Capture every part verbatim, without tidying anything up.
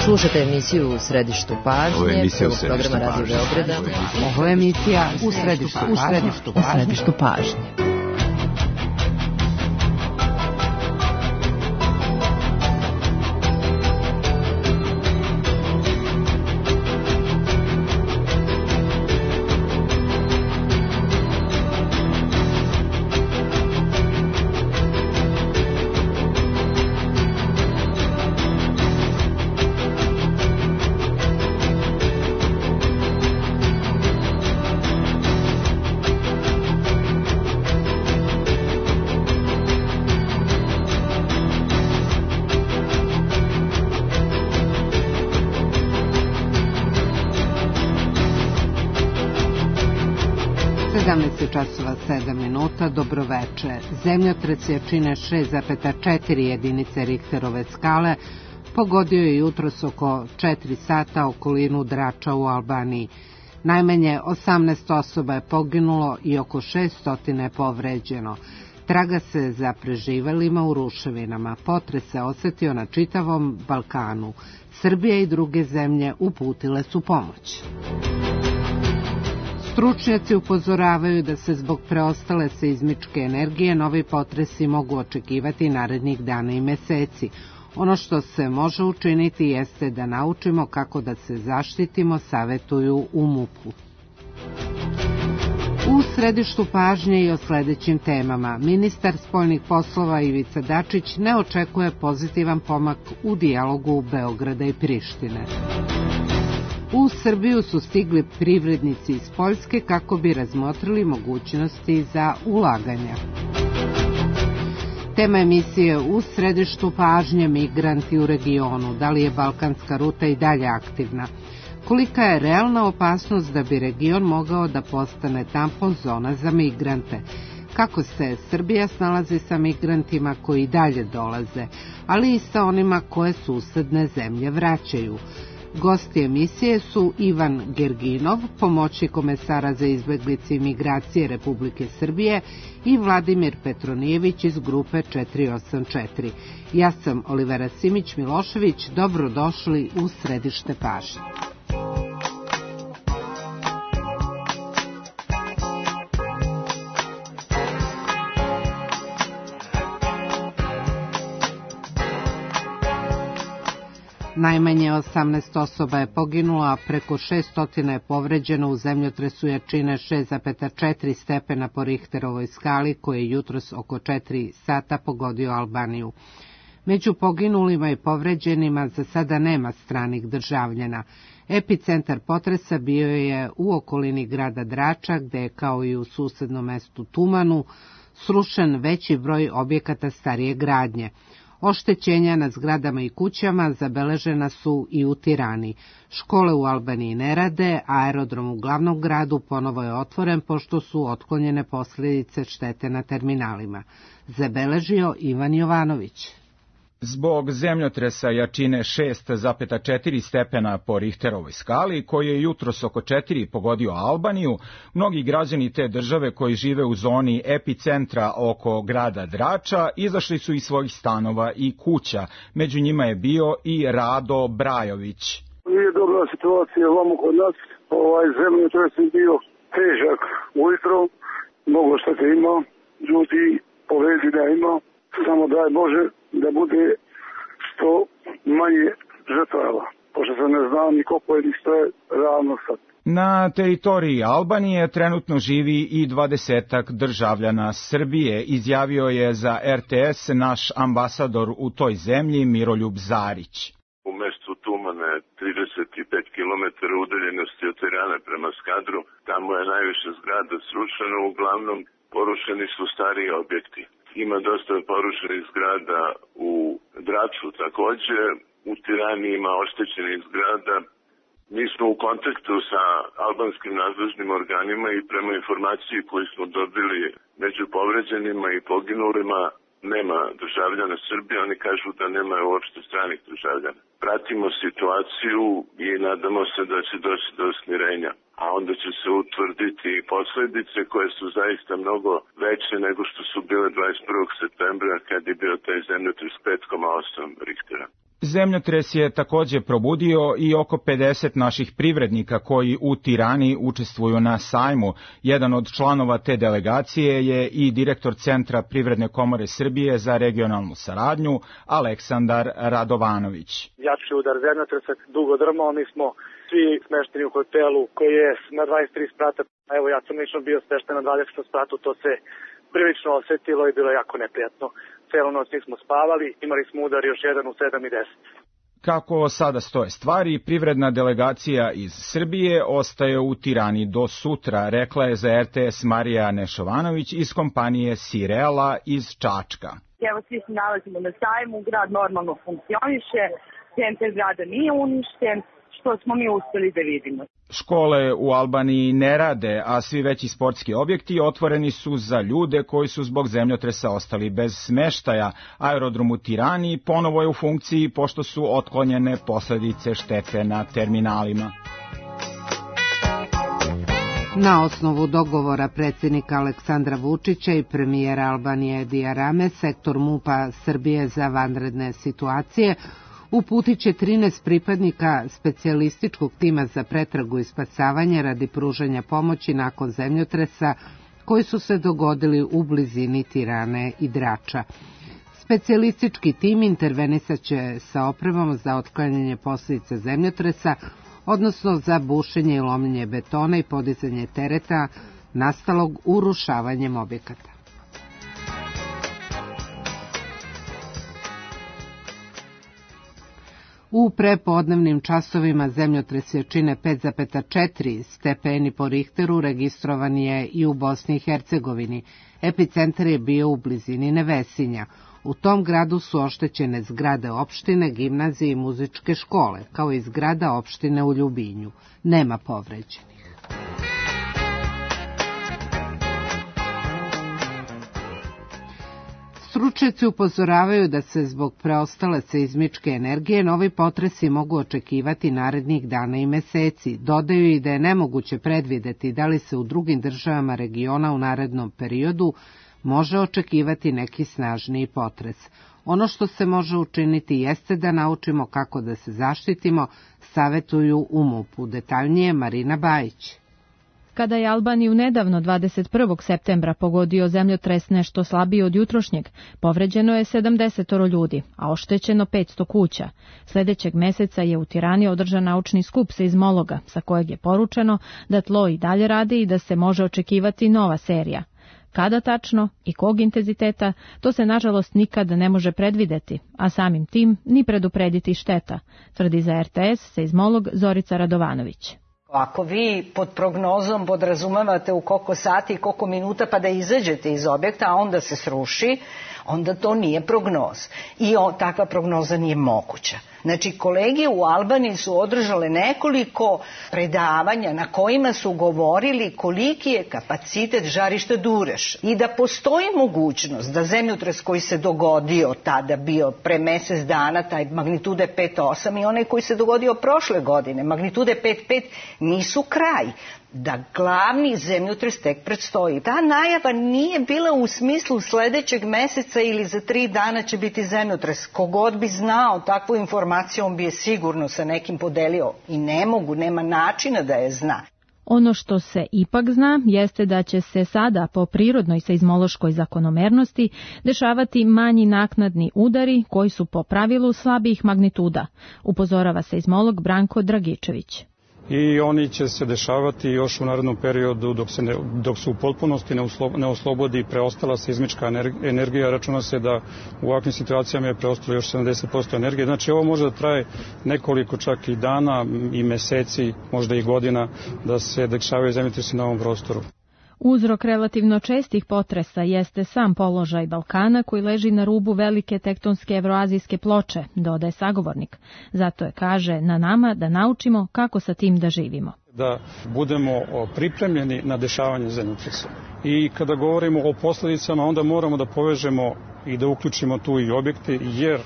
Slušate emisiju U središtu pažnje, prvog programa Radio Beograda. Ovo je emisija U središtu pažnje. U središtu pažnje. sedamnaest časova sedam minuta, dobroveče. Zemljotres jačine šest zarez četiri jedinice Richterove skale pogodio je jutros oko četiri sata okolinu Drača u Albaniji. Najmanje osamnaest osoba je poginulo i oko šeststo je povređeno. Traga se za preživelima u ruševinama. Potres se osetio na čitavom Balkanu. Srbija i druge zemlje uputile su pomoć. Stručnjaci upozoravaju da se zbog preostale seizmičke energije novi potresi mogu očekivati narednih dana i meseci. Ono što se može učiniti jeste da naučimo kako da se zaštitimo, savetuju u MUP-u. U središtu pažnje i o sledećim temama. Ministar spoljnih poslova Ivica Dačić ne očekuje pozitivan pomak u dijalogu Beograda i Prištine. U Srbiju su stigli privrednici iz Poljske kako bi razmotrili mogućnosti za ulaganja. Tema emisije U središtu pažnje, migranti u regionu. Da li je balkanska ruta i dalje aktivna? Kolika je realna opasnost da bi region mogao da postane tampon zona za migrante? Kako se Srbija snalazi sa migrantima koji dalje dolaze, ali i sa onima koje susedne zemlje vraćaju? Gosti emisije su Ivan Gerginov, pomoćnik komesara za izbeglice i migracije Republike Srbije, i Vladimir Petronijević iz grupe četiri osam četiri. Ja sam Olivera Simić-Milošević, dobrodošli u središte pažnje. Najmanje osamnaest osoba je poginulo, a preko šeststo je povređeno u zemljotresu jačine šest zarez četiri stepena po Richterovoj skali, koji je jutros oko četiri sata pogodio Albaniju. Među poginulima i povređenima za sada nema stranih državljana. Epicentar potresa bio je u okolini grada Drača, gde je kao i u susednom mestu Tumanu srušen veći broj objekata starije gradnje. Oštećenja na zgradama i kućama zabeležena su i u Tirani. Škole u Albaniji ne rade, aerodrom u glavnom gradu ponovo je otvoren pošto su otklonjene posljedice štete na terminalima. Zabeležio Ivan Jovanović. Zbog zemljotresa jačine šest zarez četiri stepena po Richterovoj skali, koji je jutros oko četiri pogodio Albaniju, mnogi građani te države koji žive u zoni epicentra oko grada Drača izašli su iz svojih stanova i kuća. Među njima je bio i Rado Brajović. Nije dobra situacija ovamo kod nas. Ovaj zemljotres je bio težak ujutro, mnogo štete ima, ljudi povređenja ima, samo daj Bože da bude što manje žrtava, pošto se ne zna ni koliko je ni što je realno sad. Na teritoriji Albanije trenutno živi i dvadesetak državljana Srbije, izjavio je za er te es naš ambasador u toj zemlji Miroljub Zarić. U mestu Tumane, trideset pet kilometara udaljenosti od Tirane prema Skadru, tamo je najviše zgrada srušeno, uglavnom porušeni su stariji objekti. Ima dosta porušenih zgrada u Draču takođe, u Tirani ima oštećenih zgrada. Mi smo u kontaktu sa albanskim nadležnim organima i prema informaciji koju smo dobili među povređenima i poginulima nema državljana Srbije, oni kažu da nema uopšte stranih državljana. Pratimo situaciju i nadamo se da će doći do smirenja, a onda će se utvrditi posledice koje su zaista mnogo veće nego što su bile dvadeset prvog septembra kad je bio taj zemljotres pet zarez osam Richtera. Zemljotres je takođe probudio i oko pedeset naših privrednika koji u Tirani učestvuju na sajmu. Jedan od članova te delegacije je i direktor Centra Privredne komore Srbije za regionalnu saradnju, Aleksandar Radovanović. Jači udar zemljotresa dugo drmao, mi smo svi smešteni u hotelu koji je na dvadeset tri sprata. Evo, ja sam lično bio smešten na dvadesetom spratu, to se prilično osetilo i bilo jako neprijatno. Celu noć nismo spavali, imali smo udar još jedan u sedam i deset. Kako sada stoje stvari, privredna delegacija iz Srbije ostaje u Tirani do sutra, rekla je za er te es Marija Nešovanović iz kompanije Sirela iz Čačka. Evo, svi se nalazimo na sajmu, grad normalno funkcioniše, centar grada nije uništen, što smo mi uspeli da vidimo. Škole u Albaniji ne rade, a svi veći sportski objekti otvoreni su za ljude koji su zbog zemljotresa ostali bez smeštaja. Aerodrom u Tirani ponovo je u funkciji pošto su otklonjene posledice štete na terminalima. Na osnovu dogovora predsjednika Aleksandra Vučića i premijera Albanije Edija Rame, sektor MUP-a Srbije za vanredne situacije uputit će trinaest pripadnika specijalističkog tima za pretragu i spasavanje radi pružanja pomoći nakon zemljotresa koji su se dogodili u blizini Tirane i Drača. Specijalistički tim intervenisat će sa opremom za otklanjanje posljedica zemljotresa, odnosno za bušenje i lomljenje betona i podizanje tereta nastalog urušavanjem objekata. U prepodnevnim časovima zemljotres jačine pet zarez četiri stepeni po Richteru registrovan je i u Bosni i Hercegovini. Epicentar je bio u blizini Nevesinja. U tom gradu su oštećene zgrade opštine, gimnazije i muzičke škole, kao i zgrada opštine u Ljubinju. Nema povređenih. Stručnjaci upozoravaju da se zbog preostale seizmičke energije novi potresi mogu očekivati narednih dana i meseci. Dodaju i da je nemoguće predvideti da li se u drugim državama regiona u narednom periodu može očekivati neki snažniji potres. Ono što se može učiniti jeste da naučimo kako da se zaštitimo, savetuju u MUP-u. Detaljnije Marina Bajić. Kada je Albaniju nedavno dvadeset prvog septembra pogodio zemljotres nešto slabiji od jutrošnjeg, povređeno je sedamdeset ljudi, a oštećeno petsto kuća. Sljedećeg meseca je u Tirani održan naučni skup seizmologa, sa kojeg je poručeno da tlo i dalje radi i da se može očekivati nova serija. Kada tačno i kog intenziteta, to se nažalost nikad ne može predvideti, a samim tim ni preduprediti šteta, tvrdi za er te es seizmolog Zorica Radovanović. Ako vi pod prognozom podrazumevate u koliko sati i koliko minuta pa da izađete iz objekta, a onda se sruši, onda to nije prognoz. I o, takva prognoza nije moguća. Znači, kolege u Albaniji su održale nekoliko predavanja na kojima su govorili koliki je kapacitet žarišta Dureš i da postoji mogućnost da zemljotres koji se dogodio tada bio pre mesec dana, taj magnitude pet zarez osam i onaj koji se dogodio prošle godine, magnitude pet zarez pet, nisu kraj. Da glavni zemljotres tek predstoji. Ta najava nije bila u smislu sledećeg meseca ili za tri dana će biti zemljotres. Kogod bi znao takvu informaciju, on bi je sigurno sa nekim podelio. I ne mogu, nema načina da je zna. Ono što se ipak zna jeste da će se sada po prirodnoj seizmološkoj zakonomernosti dešavati manji naknadni udari koji su po pravilu slabijih magnituda, upozorava seizmolog Branko Dragičević. I oni će se dešavati još u narednom periodu dok se, ne, dok se u potpunosti ne, uslo, ne oslobodi preostala seizmička energija. Računa se da u ovakvim situacijama je preostalo još sedamdeset posto energije. Znači ovo može da traje nekoliko čak i dana i meseci, možda i godina da se dešavaju zemljotresi na ovom prostoru. Uzrok relativno čestih potresa jeste sam položaj Balkana koji leži na rubu velike tektonske evroazijske ploče, dodaje sagovornik. Zato je, kaže, na nama da naučimo kako sa tim da živimo. Da budemo pripremljeni na dešavanje zemljotresa. I kada govorimo o posljedicama, onda moramo da povežemo i da uključimo tu i objekte, jer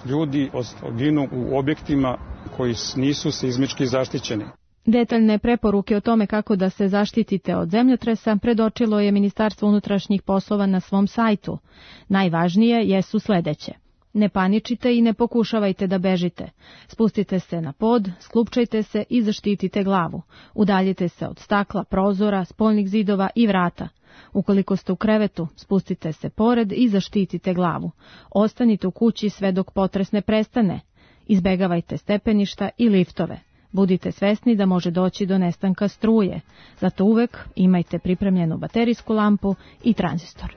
ljudi ginu u objektima koji nisu seizmički zaštićeni. Detaljne preporuke o tome kako da se zaštitite od zemljotresa predočilo je Ministarstvo unutrašnjih poslova na svom sajtu. Najvažnije jesu sledeće. Ne paničite i ne pokušavajte da bežite. Spustite se na pod, sklupčajte se i zaštitite glavu. Udaljite se od stakla, prozora, spoljnih zidova i vrata. Ukoliko ste u krevetu, spustite se pored i zaštitite glavu. Ostanite u kući sve dok potres ne prestane. Izbegavajte stepeništa i liftove. Budite svesni da može doći do nestanka struje. Zato uvek imajte pripremljenu baterijsku lampu i tranzistor.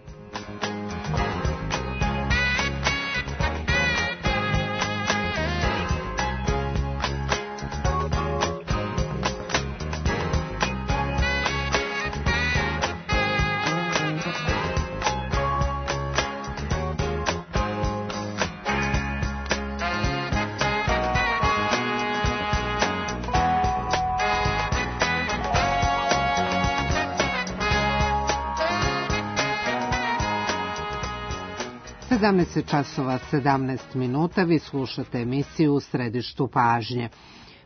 sedamnaest časova sedamnaest minuta, vi slušate emisiju U središtu pažnje.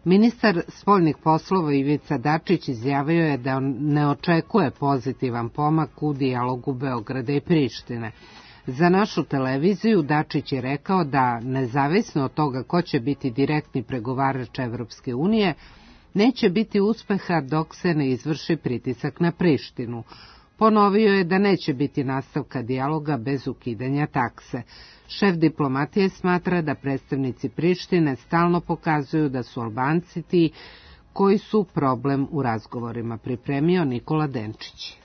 Ministar spoljnih poslova Ivica Dačić izjavio je da ne očekuje pozitivan pomak u dijalogu Beograda i Prištine. Za našu televiziju Dačić je rekao da, nezavisno od toga ko će biti direktni pregovarač Evropske unije, neće biti uspeha dok se ne izvrši pritisak na Prištinu. Ponovio je da neće biti nastavka dijaloga bez ukidanja takse. Šef diplomatije smatra da predstavnici Prištine stalno pokazuju da su Albanci ti koji su problem u razgovorima, pripremio Nikola Denčić.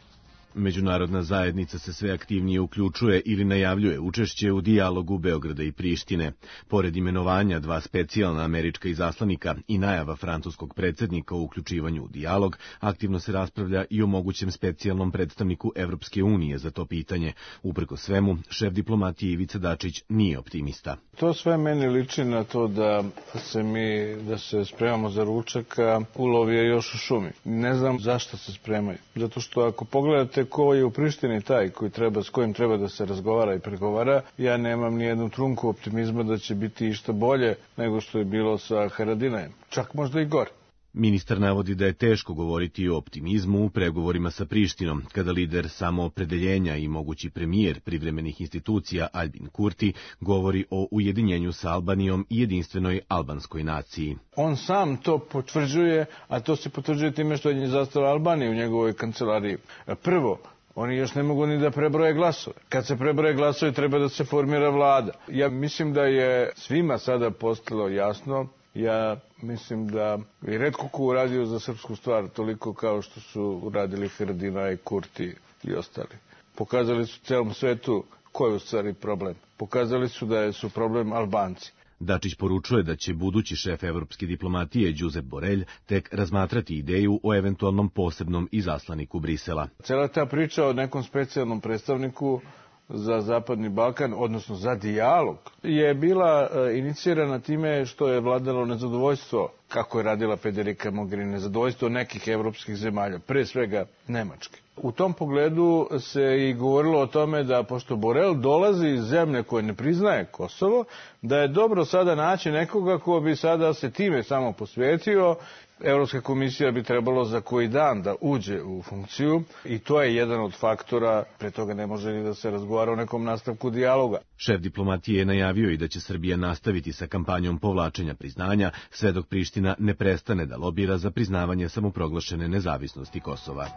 Međunarodna zajednica se sve aktivnije uključuje ili najavljuje učešće u dijalogu Beograda i Prištine. Pored imenovanja dva specijalna američka izaslanika i najava francuskog predsjednika o uključivanju u dijalog, aktivno se raspravlja i o mogućem specijalnom predstavniku Evropske unije za to pitanje. Uprkos svemu, šef diplomatije Ivica Dačić nije optimista. To sve meni liči na to da se mi, da se spremamo za ručak, a ulov je još u šumi. Ne znam zašto se spremaju. Zato što ako pogledate ko je u Prištini taj koji treba, s kojim treba da se razgovara i pregovara, ja nemam ni jednu trunku optimizma da će biti išta bolje nego što je bilo sa Haradinajem. Čak možda i gore. Ministar navodi da je teško govoriti o optimizmu u pregovorima sa Prištinom, kada lider samoopredeljenja i mogući premijer privremenih institucija Albin Kurti govori o ujedinjenju sa Albanijom i jedinstvenoj albanskoj naciji. On sam to potvrđuje, a to se potvrđuje time što je zastala Albanija u njegovoj kancelariji. Prvo, oni još ne mogu ni da prebroje glasove. Kad se prebroje glasove, treba da se formira vlada. Ja mislim da je svima sada postalo jasno. Ja mislim da je retko ko uradio za srpsku stvar toliko kao što su uradili Haradinaj, Kurti i ostali. Pokazali su celom svetu koji je u stvari problem. Pokazali su da su problem Albanci. Dačić poručuje da će budući šef evropske diplomatije Josep Borrell tek razmatrati ideju o eventualnom posebnom izaslaniku Brisela. Cela ta priča o nekom specijalnom predstavniku za Zapadni Balkan, odnosno za dijalog, je bila inicirana time što je vladalo nezadovoljstvo, kako je radila Federica Mogherini, nezadovoljstvo nekih evropskih zemalja, pre svega Nemačke. U tom pogledu se i govorilo o tome da, pošto Borrell dolazi iz zemlje koje ne priznaje Kosovo, da je dobro sada naći nekoga ko bi sada se time samo posvetio. Evropska komisija bi trebalo za koji dan da uđe u funkciju i to je jedan od faktora, pre toga ne može ni da se razgovara o nekom nastavku dijaloga. Šef diplomatije je najavio i da će Srbija nastaviti sa kampanjom povlačenja priznanja, sve dok Priština ne prestane da lobira za priznavanje samoproglašene nezavisnosti Kosova.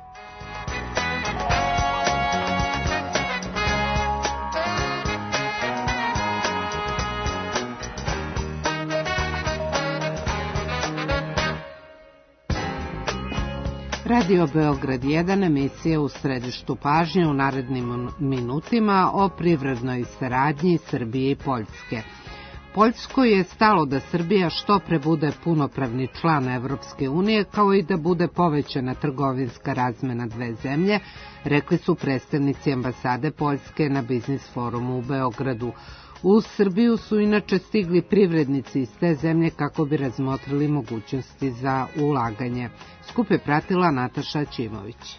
Radio Beograd jedan, emisija U središtu pažnje u narednim minutima o privrednoj saradnji Srbije i Poljske. Poljskoj je stalo da Srbija što pre bude punopravni član Evropske unije, kao i da bude povećana trgovinska razmena dve zemlje, rekli su predstavnici ambasade Poljske na Biznis forumu u Beogradu. U Srbiju su inače stigli privrednici iz te zemlje kako bi razmotrili mogućnosti za ulaganje. Skup je pratila Nataša Ćimović.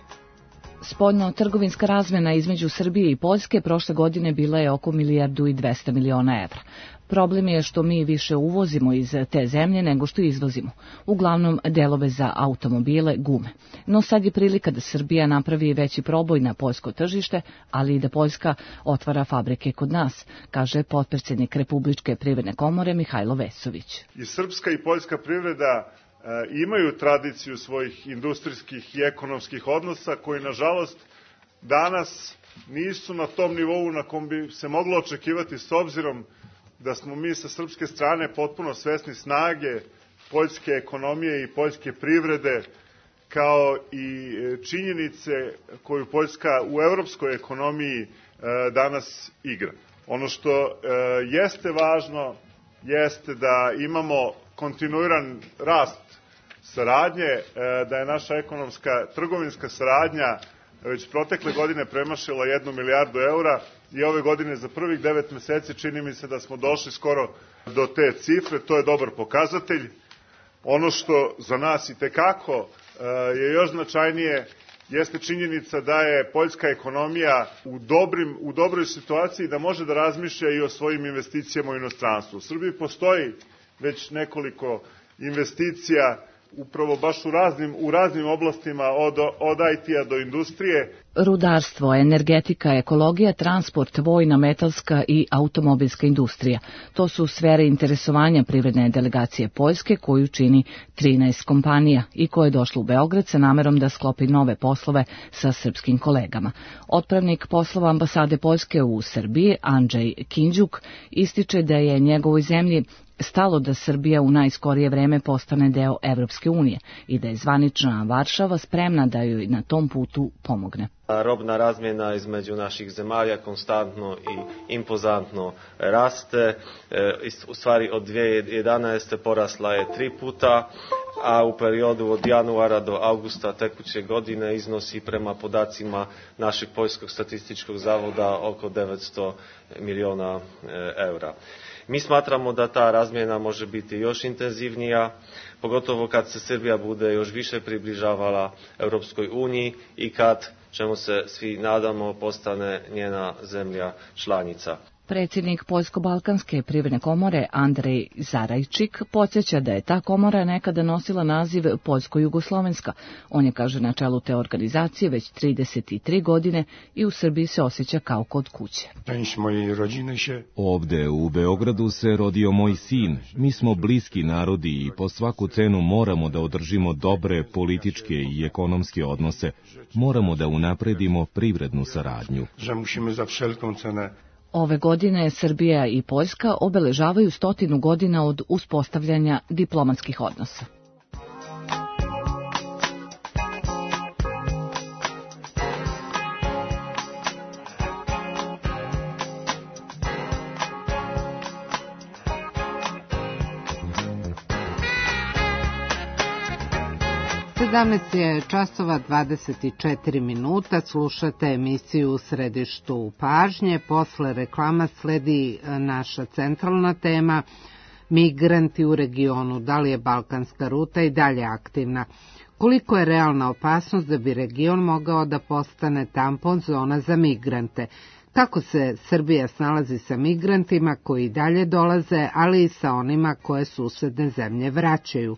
Spoljno-trgovinska razmjena između Srbije i Poljske prošle godine bila je oko milijardu i dvesta miliona evra. Problem je što mi više uvozimo iz te zemlje nego što izvozimo, uglavnom delove za automobile, gume. No sad je prilika da Srbija napravi veći proboj na poljsko tržište, ali i da Poljska otvara fabrike kod nas, kaže potpredsjednik Republičke privredne komore Mihajlo Vesović. I srpska i poljska privreda e, imaju tradiciju svojih industrijskih i ekonomskih odnosa koji, nažalost, danas nisu na tom nivou na kom bi se moglo očekivati s obzirom da smo mi sa srpske strane potpuno svesni snage poljske ekonomije i poljske privrede, kao i činjenice koju Poljska u evropskoj ekonomiji danas igra. Ono što jeste važno jeste da imamo kontinuiran rast saradnje, da je naša ekonomska trgovinska saradnja već protekle godine premašila jednu milijardu eura i ove godine za prvih devet meseci čini mi se da smo došli skoro do te cifre. To je dobar pokazatelj. Ono što za nas i tekako je još značajnije jeste činjenica da je poljska ekonomija u, dobrim, u dobroj situaciji da može da razmišlja i o svojim investicijama u inostranstvu. U Srbiji postoji već nekoliko investicija upravo baš u raznim, u raznim oblastima od, od I T-a do industrije. Rudarstvo, energetika, ekologija, transport, vojna, metalska i automobilska industrija. To su sfere interesovanja privredne delegacije Poljske koju čini trinaest kompanija i koje je došlo u Beograd sa namerom da sklopi nove poslove sa srpskim kolegama. Otpravnik poslova ambasade Poljske u Srbiji, Andrzej Kinđuk, ističe da je njegovoj zemlji stalo da Srbija u najskorije vreme postane deo Evropske unije i da je zvanična Varšava spremna da joj na tom putu pomogne. Robna razmjena između naših zemalja konstantno i impozantno raste. U stvari od dvije hiljade jedanaeste. porasla je tri puta, a u periodu od januara do augusta tekuće godine iznosi prema podacima našeg Poljskog statističkog zavoda oko devetsto miliona eura. Mi smatramo da ta razmjena može biti još intenzivnija, pogotovo kad se Srbija bude još više približavala Europskoj uniji i kad, čemu se svi nadamo, postane njena zemlja članica. Predsjednik Poljsko-Balkanske privredne komore Andrej Zarajčik podsjeća da je ta komora nekada nosila naziv Poljsko-Jugoslovenska. On je, kaže, na čelu te organizacije već trideset tri godine i u Srbiji se osjeća kao kod kuće. Ovde u Beogradu se rodio moj sin. Mi smo bliski narodi i po svaku cenu moramo da održimo dobre političke i ekonomske odnose. Moramo da unapredimo privrednu saradnju. Ove godine Srbija i Poljska obeležavaju stotinu godina od uspostavljanja diplomatskih odnosa. sedamnaest je časova dvadeset četiri minuta, slušate emisiju U središtu pažnje. Posle reklama sledi naša centralna tema, migranti u regionu, da li je balkanska ruta i dalje aktivna. Koliko je realna opasnost da bi region mogao da postane tampon zona za migrante? Kako se Srbija snalazi sa migrantima koji dalje dolaze, ali i sa onima koje susedne zemlje vraćaju?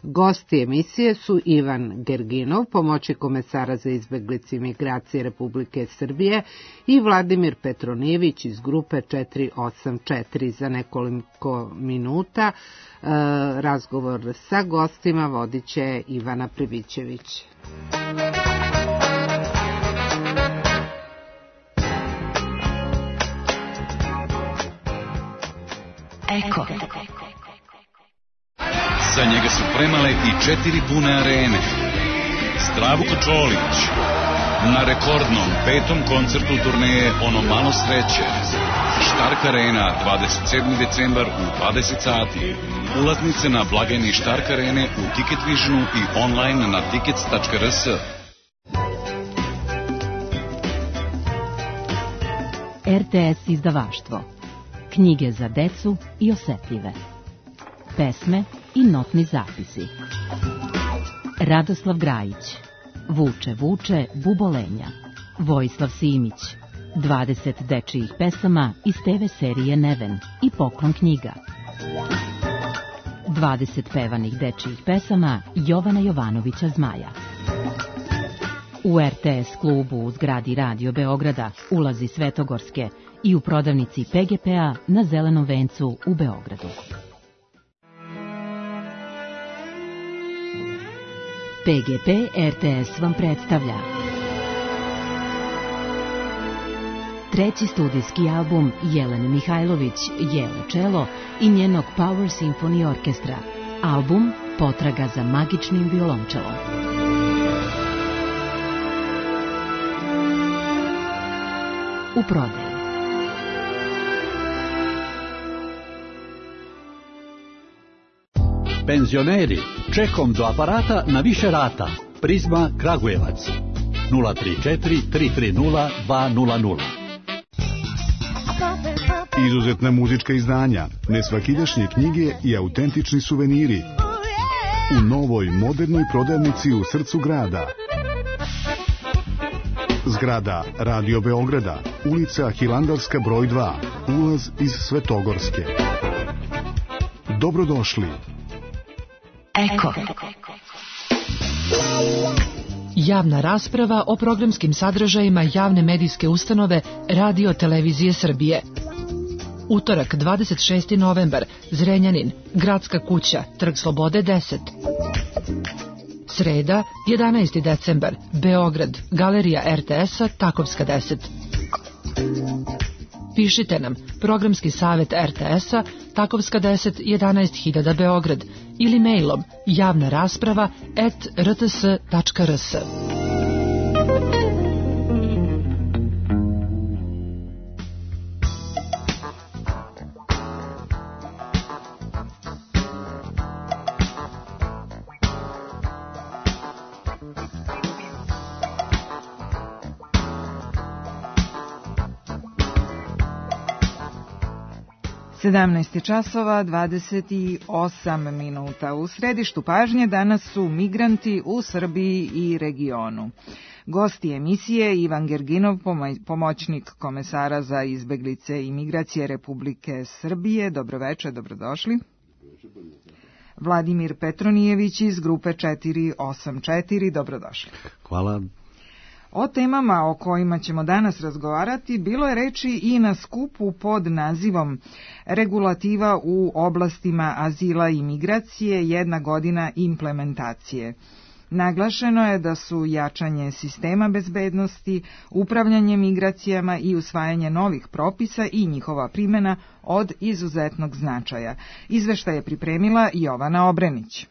Gosti emisije su Ivan Gerginov, pomoćnik komesara za izbeglice i migracije Republike Srbije, i Vladimir Petronijević iz grupe četiri osam četiri. Za nekoliko minuta e, razgovor sa gostima vodit će Ivana Privićević. Eko. Za njega su premale i četiri pune arene. Zdravko Čolić na rekordnom petom koncertu turneje Ono malo sreće. Štark Arena, dvadeset sedmi decembar u dvadeset sati. Ulaznice na blagajni Štark Arene u Ticket Visionu i online na tickets tačka r s. R T S izdavaštvo. Knjige za decu i osetljive. Pesme i notni zapisi. Radoslav Grajić. Vuče, vuče, bubolenja. Vojislav Simić. dvadeset dečijih pesama iz te ve serije Neven i Poklon knjiga. dvadeset pevanih dečijih pesama Jovana Jovanovića Zmaja. U er te es klubu u zgradi Radio Beograda ulazi Svetogorske i u prodavnici pe ge pe-a na Zelenom vencu u Beogradu. pe ge pe er te es vam predstavlja treći studijski album Jelene Mihajlović, Jelo čelo i njenog Power Symphony Orkestra. Album Potraga za magičnim violončelom. U prodaju. Penzioneri, čekom do aparata na više rata. Prizma Kragujevac. nula tri četiri tri tri nula dva nula nula. Izuzetna muzička izdanja, nesvakidašnje knjige i autentični suveniri. U novoj, modernoj prodavnici u srcu grada. Zgrada Radio Beograda, ulica Hilandarska broj dva, ulaz iz Svetogorske. Dobrodošli. Eko. Javna rasprava o programskim sadržajima javne medijske ustanove Radio Televizije Srbije. Utorak, dvadeset šesti novembar, Zrenjanin, Gradska kuća, Trg Slobode deset. Sreda, jedanaesti decembar, Beograd, Galerija er te es-a, Takovska deset. Pišite nam, programski savjet er te es-a, Takovska deset, jedanaest hiljada Beograd, ili mailom javna rasprava at er te es tačka er es. sedamnaest časova dvadeset osam minuta. U središtu pažnje danas su migranti u Srbiji i regionu. Gosti emisije Ivan Gerginov, pomoćnik komesara za izbeglice i migracije Republike Srbije. Dobroveče, dobrodošli. Vladimir Petronijević iz grupe četiri osam četiri, dobrodošli. Hvala. O temama o kojima ćemo danas razgovarati bilo je reči i na skupu pod nazivom Regulativa u oblastima azila i migracije, jedna godina implementacije. Naglašeno je da su jačanje sistema bezbednosti, upravljanje migracijama i usvajanje novih propisa i njihova primjena od izuzetnog značaja. Izveštaj je pripremila Jovana Obrenić.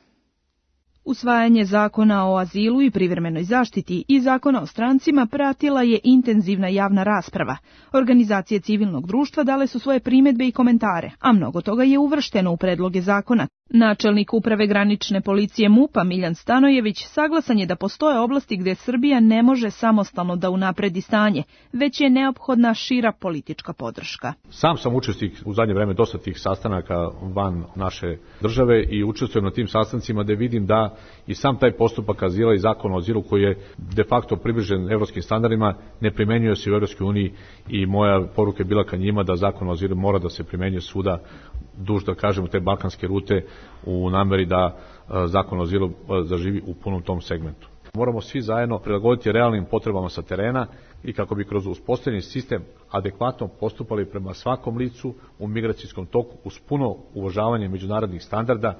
Usvajanje zakona o azilu i privremenoj zaštiti i zakona o strancima pratila je intenzivna javna rasprava. Organizacije civilnog društva dale su svoje primedbe i komentare, a mnogo toga je uvršteno u predloge zakona. Načelnik uprave granične policije MUP-a Miljan Stanojević saglasan je da postoje oblasti gdje Srbija ne može samostalno da unapredi stanje, već je neophodna šira politička podrška. Sam sam učesnik u zadnje vreme dosta tih sastanaka van naše države i učestvujem na tim sastancima da vidim da i sam taj postupak azila i zakon o azilu koji je de facto približen evropskim standardima ne primenjuje se u Evropskoj uniji i moja poruka je bila ka njima da zakon o azilu mora da se primenjuje svuda duž, da kažemo, te balkanske rute u nameri da zakon o azilu zaživi u punom tom segmentu. Moramo svi zajedno prilagoditi realnim potrebama sa terena i kako bi kroz uspostavljeni sistem adekvatno postupali prema svakom licu u migracijskom toku uz puno uvažavanje međunarodnih standarda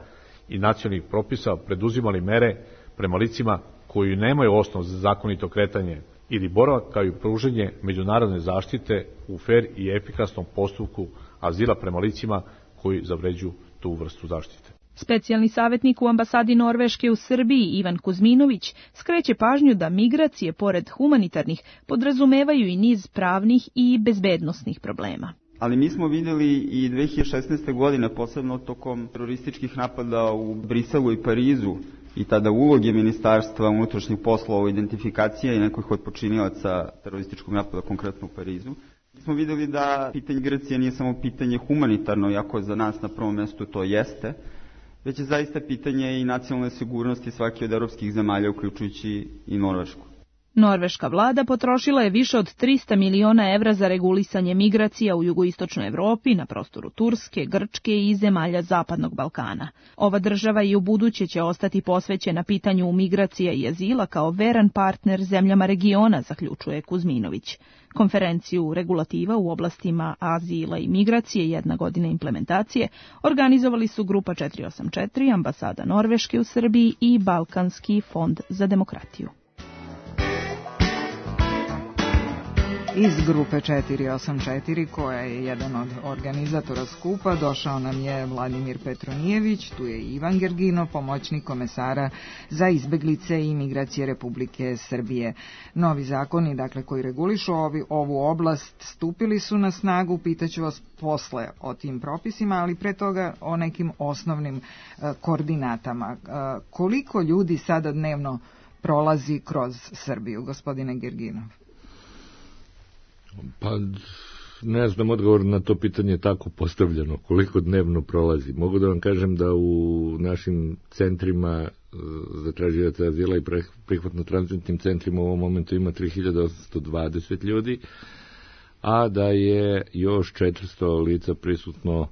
i nacionalnih propisa, preduzimali mere prema licima koji nemaju osnov za zakonito kretanje ili boravak, kao i pruženje međunarodne zaštite u fer i efikasnom postupku azila prema licima koji zavređuju tu vrstu zaštite. Specijalni savjetnik u ambasadi Norveške u Srbiji Ivan Kuzminović skreće pažnju da migracije, pored humanitarnih, podrazumevaju i niz pravnih i bezbednosnih problema. Ali mi smo vidjeli i dve hiljade šesnaeste. godine, posebno tokom terorističkih napada u Briselu i Parizu, i tada uloge Ministarstva unutrašnjih poslova, identifikacija i nekih od počinilaca terorističkog napada, konkretno u Parizu. Mi smo vidjeli da pitanje migracije nije samo pitanje humanitarno, iako za nas na prvom mjestu to jeste, već je zaista pitanje i nacionalne sigurnosti svake od evropskih zemalja, uključujući i Norvešku. Norveška vlada potrošila je više od trista miliona evra za regulisanje migracija u jugoistočnoj Evropi, na prostoru Turske, Grčke i zemalja Zapadnog Balkana. Ova država i u buduće će ostati posvećena pitanju migracija i azila kao veran partner zemljama regiona, zaključuje Kuzminović. Konferenciju regulativa u oblastima azila i migracije, jedna godina implementacije, organizovali su Grupa četiri osam četiri, Ambasada Norveške u Srbiji i Balkanski fond za demokratiju. Iz Grupe četiri osam četiri, koja je jedan od organizatora skupa, došao nam je Vladimir Petronijević, tu je Ivan Gergino, pomoćnik komesara za izbeglice i migracije Republike Srbije. Novi zakoni, dakle, koji regulišu ovi, ovu oblast, stupili su na snagu, pitaću vas posle o tim propisima, ali pre toga o nekim osnovnim uh, koordinatama. Uh, koliko ljudi sada dnevno prolazi kroz Srbiju, gospodine Gerginov? Pa ne znam, odgovor na to pitanje je tako postavljeno, koliko dnevno prolazi. Mogu da vam kažem da u našim centrima za tražioce azila i prihvatno-tranzitnim centrima u ovom momentu ima tri hiljade osamsto dvadeset ljudi, a da je još četiristo lica prisutno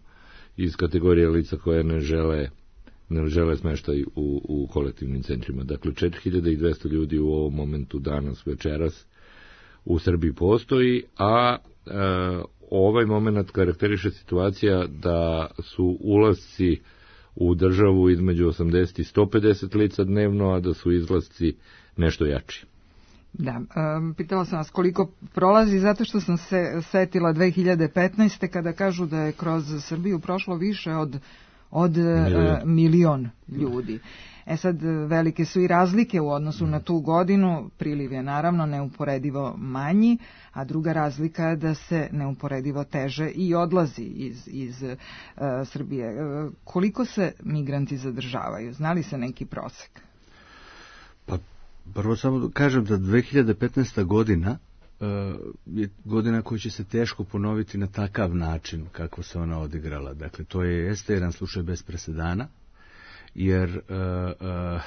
iz kategorije lica koje ne žele ne žele smeštaj u, u kolektivnim centrima. Dakle, četiri hiljade dvesta ljudi u ovom momentu danas, večeras, u Srbiji postoji, a e, ovaj moment karakteriše situacija da su ulasci u državu između osamdeset i sto pedeset lica dnevno, a da su izlasci nešto jači. Da, um, pitala sam vas koliko prolazi, zato što sam se setila dve hiljade petnaeste kada kažu da je kroz Srbiju prošlo više od, od milion. Uh, milion ljudi. E sad, velike su i razlike u odnosu na tu godinu, priliv je naravno neuporedivo manji, a druga razlika je da se neuporedivo teže i odlazi iz, iz uh, Srbije. Uh, koliko se migranti zadržavaju? Znali se neki prosek? Pa, prvo samo kažem da dve hiljade petnaesta godina uh, je godina koja će se teško ponoviti na takav način kako se ona odigrala. Dakle, to je jeste jedan slučaj bez presedana, jer uh, uh,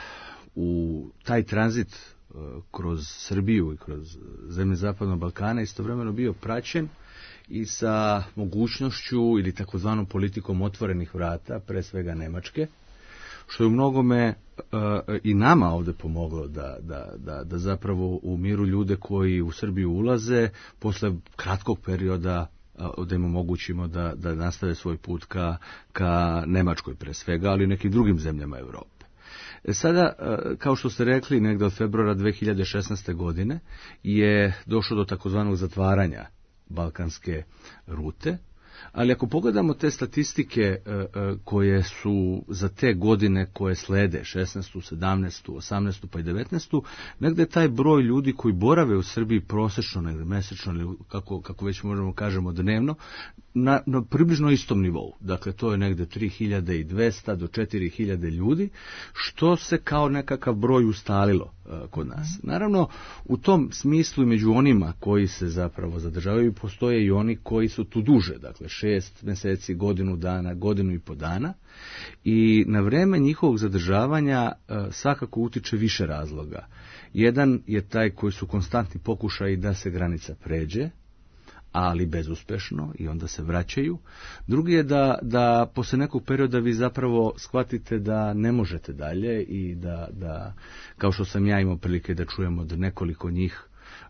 u taj tranzit uh, kroz Srbiju i kroz zemlje Zapadnog Balkana istovremeno bio praćen i sa mogućnošću ili takozvanom politikom otvorenih vrata, pre svega Nemačke, što je u mnogome uh, i nama ovde pomoglo da, da, da, da zapravo u miru ljude koji u Srbiju ulaze posle kratkog perioda da im omogućimo da, da nastave svoj put ka, ka Nemačkoj pre svega, ali i nekim drugim zemljama Evrope. E sada, kao što ste rekli, negde od februara dve hiljade šesnaeste. godine je došlo do takozvanog zatvaranja balkanske rute, ali ako pogledamo te statistike koje su za te godine koje slede, šesnaestu, sedamnaestu, osamnaestu pa i devetnaestu, negde taj broj ljudi koji borave u Srbiji prosečno, negde mesečno ili kako, kako već možemo kažemo dnevno, na, na približno istom nivou. Dakle, to je negde tri hiljade dvesta do četiri hiljade ljudi, što se kao nekakav broj ustalilo uh, kod nas. Naravno, u tom smislu i među onima koji se zapravo zadržavaju postoje i oni koji su tu duže, dakle šest meseci, godinu dana, godinu i po dana, i na vreme njihovog zadržavanja uh, svakako utiče više razloga. Jedan je taj koji su konstantni pokušaji da se granica pređe, ali bezuspešno, i onda se vraćaju. Drugi je da, da posle nekog perioda vi zapravo shvatite da ne možete dalje i da, da kao što sam ja imao prilike da čujem od nekoliko njih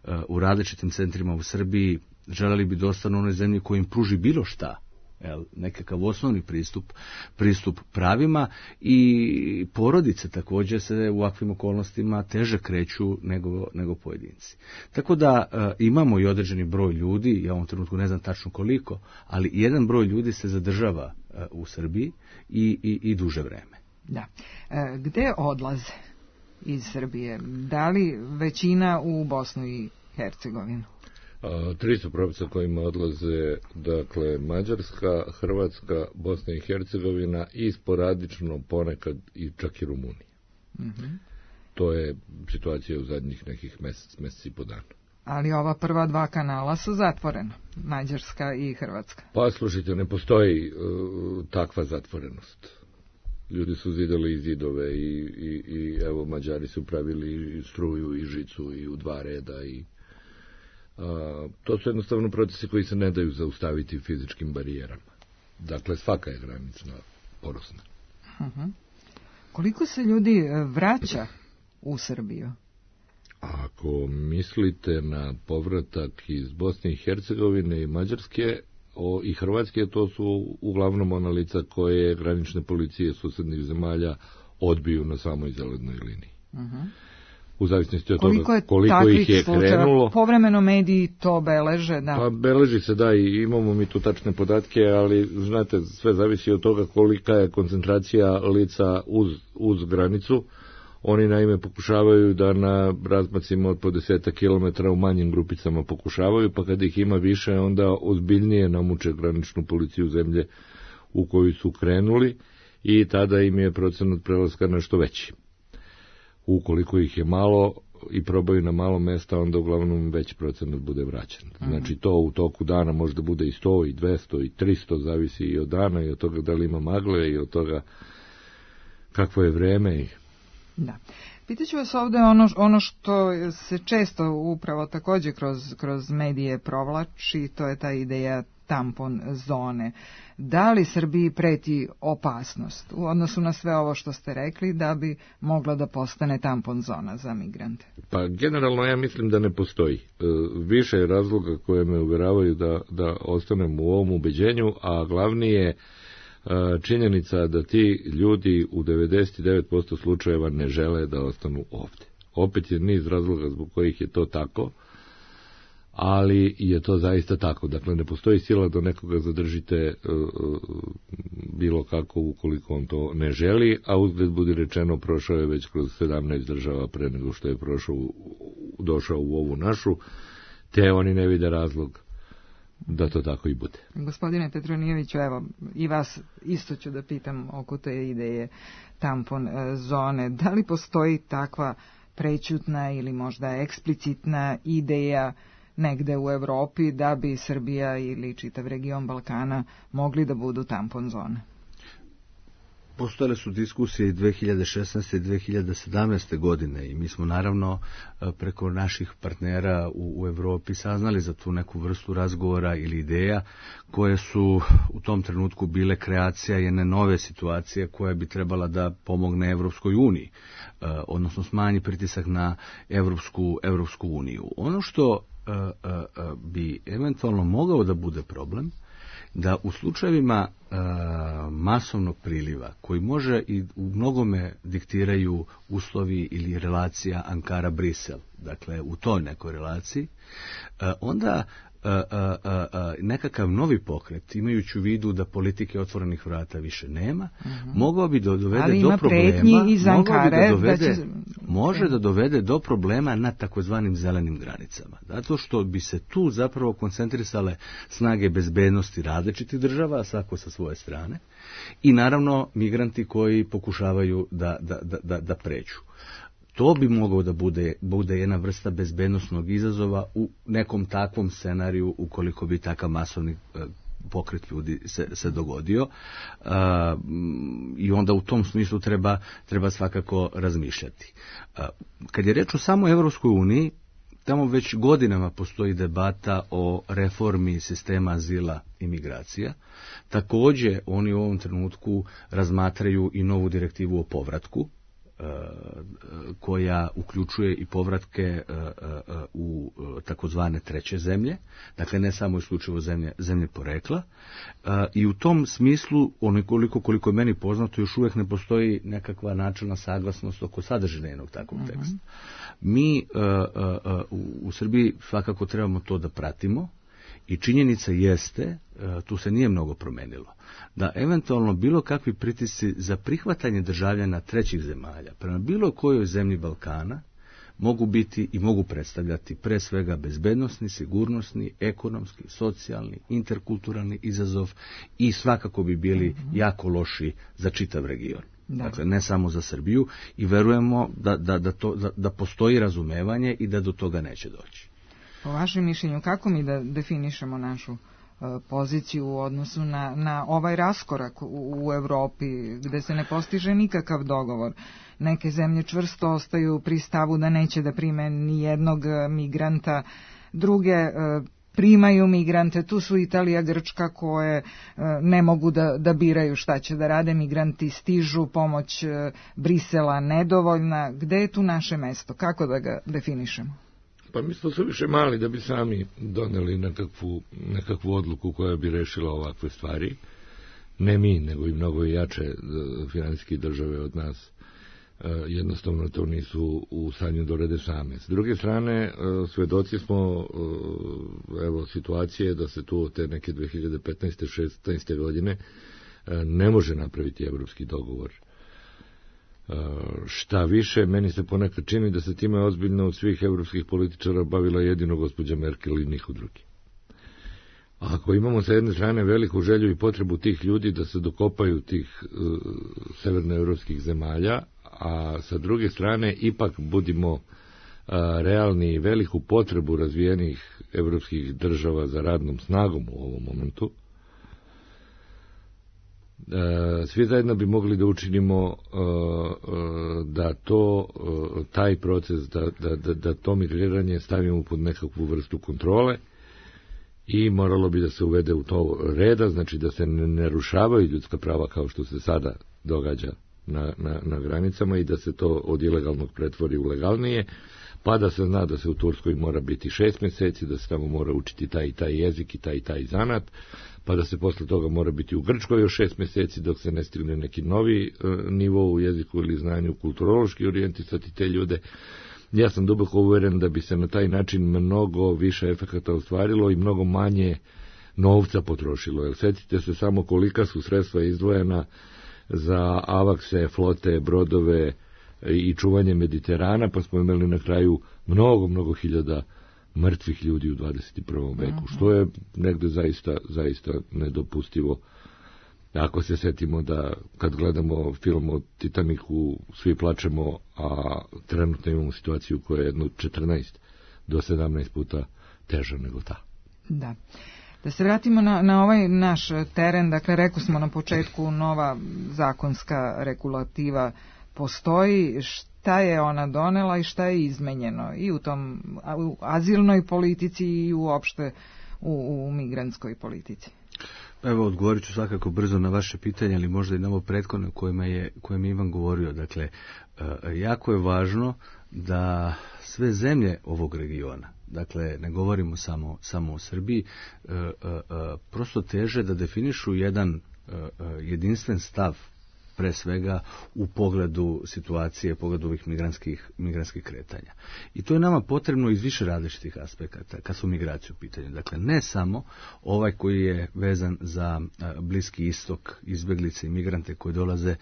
uh, u različitim centrima u Srbiji, želeli bi da ostanu u onoj zemlji koji im pruži bilo šta, jel, nekakav osnovni pristup, pristup pravima, i porodice također se u ovakvim okolnostima teže kreću nego, nego pojedinci. Tako da e, imamo i određeni broj ljudi, ja u ovom trenutku ne znam tačno koliko, ali jedan broj ljudi se zadržava e, u Srbiji i, i, i duže vreme. Da. E, gde odlaze iz Srbije? Da li većina u Bosnu i Hercegovinu? Tri su pravca kojima odlaze, dakle, Mađarska, Hrvatska, Bosna i Hercegovina i sporadično ponekad i čak i Rumunija. Mm-hmm. To je situacija u zadnjih nekih mesec, mesec i po dana. Ali ova prva dva kanala su zatvorena, Mađarska i Hrvatska. Pa slušajte, ne postoji uh, takva zatvorenost. Ljudi su zidali i zidove i, i, i evo Mađari su pravili i struju i žicu i u dva reda i a, to su jednostavno procesi koji se ne daju zaustaviti fizičkim barijerama. Dakle, svaka je granica porosna. Uh-huh. Koliko se ljudi vraća u Srbiju? Ako mislite na povratak iz Bosne i Hercegovine i Mađarske o, i Hrvatske, to su uglavnom ona lica koje granične policije susednih zemalja odbiju na samoj zelenoj liniji. Uh-huh. U zavisnosti od koliko toga koliko ih je slučaja? Krenulo. Povremeno mediji to beleže, da. Pa beleži se, da, i imamo mi tu tačne podatke, ali znate, sve zavisi od toga kolika je koncentracija lica uz, uz granicu. Oni naime pokušavaju da na razmacima od po desetak kilometara u manjim grupicama pokušavaju, pa kad ih ima više, onda ozbiljnije namuče graničnu policiju zemlje u koju su krenuli i tada im je procenat prelaska nešto veći. Ukoliko ih je malo i probaju na malo mesta, onda uglavnom veći procenat bude vraćan. Znači to u toku dana možda bude i sto, i dvesta, i tristo, zavisi i od dana, i od toga da li ima magle, i od toga kakvo je vreme. I... Da. Pitaću vas ovde ono, ono što se često upravo također kroz, kroz medije provlači, to je ta ideja tampon zone. Da li Srbiji preti opasnost u odnosu na sve ovo što ste rekli da bi mogla da postane tampon zona za migrante? Pa generalno ja mislim da ne postoji. E, više je razloga koje me uvjeravaju da, da ostanem u ovom ubeđenju, a glavni je e, činjenica da ti ljudi u devedeset devet posto slučajeva ne žele da ostanu ovdje. Opet je niz razloga zbog kojih je to tako, ali je to zaista tako. Dakle, ne postoji sila da nekoga zadržite uh, bilo kako ukoliko on to ne želi, a uzgled budi rečeno prošao je već kroz sedamnaest država pre nego što je prošao, došao u ovu našu, te oni ne vide razlog da to tako i bude. Gospodine Petronijeviću, evo, i vas isto ću da pitam oko te ideje tampon zone. Da li postoji takva prećutna ili možda eksplicitna ideja negde u Evropi da bi Srbija ili čitav region Balkana mogli da budu tampon zone? Postojale su diskusije i dve hiljade šesnaeste i dve hiljade sedamnaeste godine i mi smo naravno preko naših partnera u, u Evropi saznali za tu neku vrstu razgovora ili ideja koje su u tom trenutku bile kreacija jedne nove situacije koja bi trebala da pomogne Evropskoj uniji, odnosno smanji pritisak na Evropsku, Evropsku uniju. Ono što uh, uh, bi eventualno mogao da bude problem, da u slučajevima uh, masovnog priliva, koji može i u mnogome diktiraju uslovi ili relacija Ankara-Brisel, dakle u toj nekoj relaciji, uh, onda uh, uh, uh, nekakav novi pokret, imajući u vidu da politike otvorenih vrata više nema, uh-huh. mogao bi da dovede ali do problema, iz Ankare, bi da dovede, da će... može da dovede do problema na takozvanim zelenim granicama. Zato što bi se tu zapravo koncentrisale snage bezbednosti različitih država, svako sa svoje strane, i naravno migranti koji pokušavaju da, da, da, da, da pređu. To bi mogao da bude, bude jedna vrsta bezbednosnog izazova u nekom takvom scenariju ukoliko bi takav masovni pokret ljudi se, se dogodio. Uh, i onda u tom smislu treba, treba svakako razmišljati. Uh, kad je reč o samoj Evropskoj uniji, tamo već godinama postoji debata o reformi sistema azila i migracija. Također oni u ovom trenutku razmatraju i novu direktivu o povratku, koja uključuje i povratke u takozvane treće zemlje, dakle ne samo isključivo zemlje, zemlje porekla, i u tom smislu, onoliko koliko je meni poznato, još uvijek ne postoji nekakva načelna saglasnost oko sadržine jednog takvog teksta. Uh-huh. Mi u Srbiji svakako trebamo to da pratimo, i činjenica jeste, tu se nije mnogo promenilo, da eventualno bilo kakvi pritisci za prihvatanje državljana trećih zemalja prema bilo kojoj zemlji Balkana mogu biti i mogu predstavljati pre svega bezbednosni, sigurnosni, ekonomski, socijalni, interkulturalni izazov i svakako bi bili mm-hmm. jako loši za čitav region. Da. Dakle, ne samo za Srbiju, i verujemo da, da, da, to, da, da postoji razumevanje i da do toga neće doći. Po vašem mišljenju, kako mi da definišemo našu poziciju u odnosu na, na ovaj raskorak u, u Evropi, gde se ne postiže nikakav dogovor. Neke zemlje čvrsto ostaju pri stavu da neće da prime ni jednog migranta, druge primaju migrante, tu su Italija, Grčka koje ne mogu da, da biraju šta će da rade, migranti stižu, pomoć Brisela nedovoljna. Gde je tu naše mesto? Kako da ga definišemo? Pa mi smo su više mali da bi sami doneli nekakvu, nekakvu odluku koja bi rešila ovakve stvari. Ne mi, nego i mnogo jače finansijske države od nas. Jednostavno to nisu u stanju da urede same. S druge strane, svedoci smo evo situacije da se tu te neke dve hiljade petnaeste šesnaeste godine ne može napraviti evropski dogovor. Šta više, meni se ponekad čini da se time ozbiljno od svih evropskih političara bavila jedino gospođa Merkel i niko drugi. Ako imamo sa jedne strane veliku želju i potrebu tih ljudi da se dokopaju tih uh, severnoevropskih zemalja, a sa druge strane ipak budimo uh, realni i veliku potrebu razvijenih evropskih država za radnom snagom u ovom momentu, uh, svi zajedno bi mogli da učinimo uh, uh, da to, uh, taj proces, da, da, da, da to migriranje stavimo pod nekakvu vrstu kontrole, i moralo bi da se uvede u to reda, znači da se ne narušavaju ljudska prava kao što se sada događa na, na, na granicama i da se to od ilegalnog pretvori u legalnije, pa da se zna da se u Turskoj mora biti šest mjeseci, da se tamo mora učiti taj i taj jezik i taj i taj zanat, pa da se posle toga mora biti u Grčkoj još šest mjeseci dok se ne stigne neki novi e, nivo u jeziku ili znanju, kulturološki orijentisati te ljude. Ja sam duboko uveren da bi se na taj način mnogo više efekata ostvarilo i mnogo manje novca potrošilo. Jer sjetite se samo kolika su sredstva izdvojena za avakse, flote, brodove i čuvanje Mediterana, pa smo imali na kraju mnogo, mnogo hiljada mrtvih ljudi u dvadeset prvom veku, što je negde zaista, zaista nedopustivo. Ako se setimo da kad gledamo film o Titaniku svi plačemo, a trenutno imamo situaciju koja je jedno četrnaest do sedamnaest puta teža nego ta. Da. Da se vratimo na, na ovaj naš teren, dakle rekli smo na početku nova zakonska regulativa postoji, šta je ona donela i šta je izmenjeno i u tom u azilnoj politici i uopšte u, u migrantskoj politici. Evo, odgovorit ću svakako brzo na vaše pitanje, ali možda i na ovo prethodno kojima je, kojem je Ivan govorio. Dakle, jako je važno da sve zemlje ovog regiona, dakle, ne govorimo samo, samo o Srbiji, prosto teže da definišu jedan jedinstven stav, pre svega u pogledu situacije, pogledu ovih migrantskih, migrantskih kretanja. I to je nama potrebno iz više različitih aspekata kad su migracije u pitanju. Dakle, ne samo ovaj koji je vezan za Bliski istok, izbeglice i migrante koji dolaze